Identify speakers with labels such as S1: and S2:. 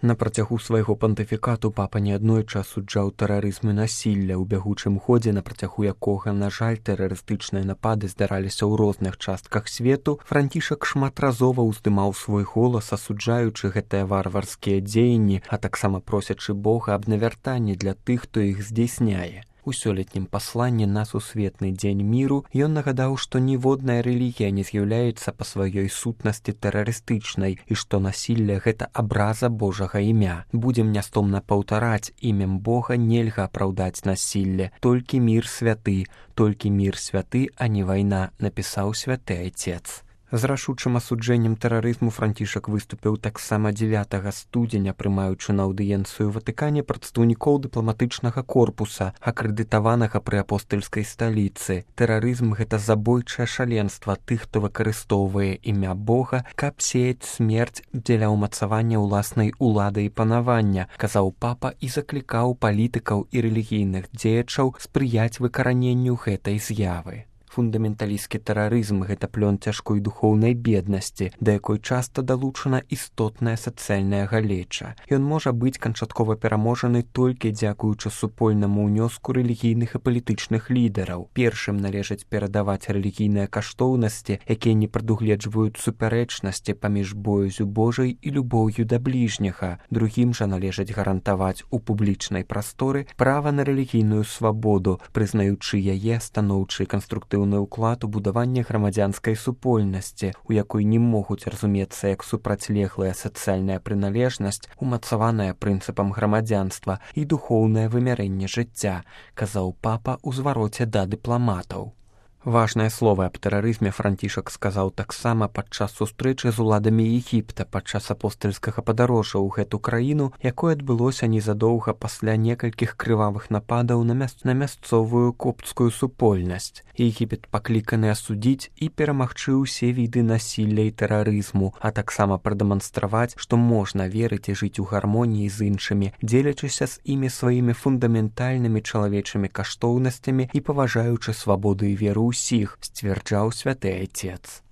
S1: На працягу свайго пантыфікату папа неаднойчы асуджаў тэрарызм і насілля, у бягучым ходзе, на працягу якога, на жаль, тэрарыстычныя напады здараліся ў розных частках свету, Францішак шматразова ўздымаў свой голас, асуджаючы гэтыя варварскія дзеянні, а таксама просячы Бога аб навяртанні для тых, хто іх здзейсняе. У сёлетнім пасланні на сусветны дзень міру ён нагадаў, што ніводная рэлігія не з'яўляецца па сваёй сутнасці тэрарыстычнай і што насілле – гэта абраза Божага імя. Будзем нястомна паўтараць, імем Бога нельга апраўдаць насілле, толькі мір святы, а не вайна, напісаў святы Айцец. З рашучым асуджэннем тэрарызму Францішак выступіў таксама 9 студзеня, прымаючы на аўдыенцыю ў Ватыкане прадстаўнікоў дыпламатычнага корпуса, акрэдытаванага пры апостальскай сталіцы. Тэрарызм – гэта забойчае шаленства тых, хто выкарыстоўвае імя Бога, каб сеяць смерць дзеля ўмацавання ўласнай улады і панавання, казаў папа і заклікаў палітыкаў і рэлігійных дзеячаў спрыяць выкараненню гэтай з'явы. Фундаменталісцкі тэрарызм – гэта плён цяжкой духоўнай беднасці, да якой часта далучана істотная сацыяльная галеча. Ён можа быць канчаткова пераможаны толькі дзякуючы супольнаму ўнёску рэлігійных і палітычных лідараў. Першым належыць перадаваць рэлігійныя каштоўнасці, якія не прадугледжваюць супярэчнасці паміж боязю Божай і любоўю да бліжняга. Другім жа належыць гарантаваць у публічнай прасторы права на рэлігійную свабоду, прызнаючы яе станоўчы і канструктыўны ўклад у будаванне грамадзянскай супольнасці, у якой не могуць разумецца як супрацьлеглая сацыяльная прыналежнасць, умацаваная прынцыпам грамадзянства і духоўнае вымярэнне жыцця, казаў папа ў звароце да дыпламатаў. Важнае слова аб тэрарызме Францішак сказаў таксама падчас сустрэчы з уладамі Егіпта падчас апостальскага падарожжа ў гэту краіну, якое адбылося незадоўга пасля некалькіх крывавых нападаў на мясцовую копцкую супольнасць. Егіпет пакліканы асудзіць і перамагчы ўсе віды насілля і тэрарызму, а таксама прадэманстраваць, што можна верыць і жыць у гармоніі з іншымі, дзелячыся з імі сваімі фундаментальнымі чалавечымі каштоўнасцямі і паважаючы свабоду і веру ўсіх, сцвярджаў святы Айцец.